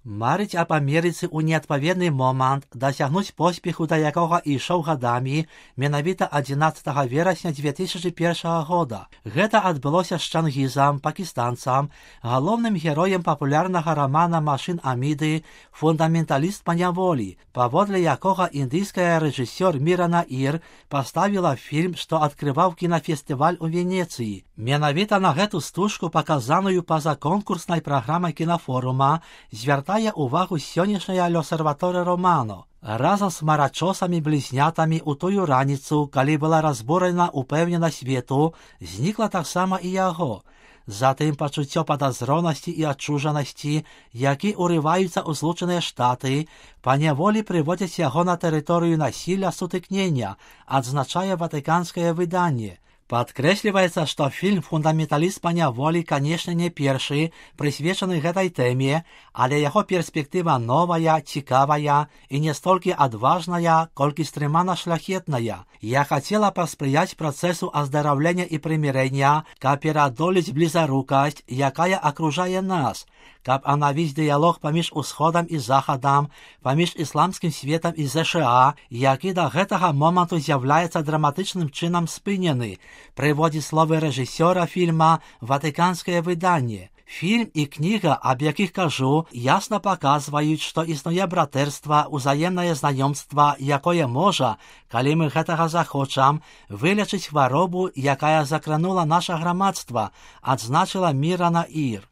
Марыць аб Амерыцы ў неадпаведны момант, дасягнуць поспеху, да якога ішоў гадамі, менавіта 11 верасня 2001 года. Гэта адбылося з Чангізам, пакістанцам, галоўным героем папулярнага рамана «Машын Аміды», фундаменталіст па няволі, паводле якога індыйская рэжысёр Мірана Ір паставіла фільм, што адкрываў кінафестываль у Венецыі. Менавіта на гэту стужку, паказаную па-за конкурснай праграмай кінафорума, звяртае увагу сённяшняя L'Osservatore Romano. Разам з марачосамі-блізнятамі ў тую раніцу, калі была разбурана упэўненасць свету, знікла таксама і яго. Затым пачуццё падазронасці і адчужанасці, які урываюцца ў Злучаныя Штаты, паняволі прыводзяць яго на тэрыторыю насілля сутыкнення, адзначае ватыканскае выданне. Падкрэсліваецца, што фільм «Фундаменталіст па няволі», канешне, не першы, прысвечаны гэтай тэме, але яго перспектыва новая, цікавая і не столькі адважная, колькі стрымана шляхетная. Я хацела паспрыяць працэсу аздараўлення і прымірэння, каб пераадолець блізарукасць, якая акружае нас, каб анавіць дыялог паміж Усходам і Захадам, паміж ісламскім светам і ЗША, які да гэтага моманту з'яўляецца драматычным чынам спынены, прыводзіць словы рэжысёра фільма ватыканскае выданне. Фільм і кніга, аб якіх кажу, ясна паказваюць, што існуе братэрства, узаемнае знаёмства, якое можа, калі мы гэтага захочам, вылечыць хваробу, якая закранула наша грамадства, адзначыла Мірана Ір.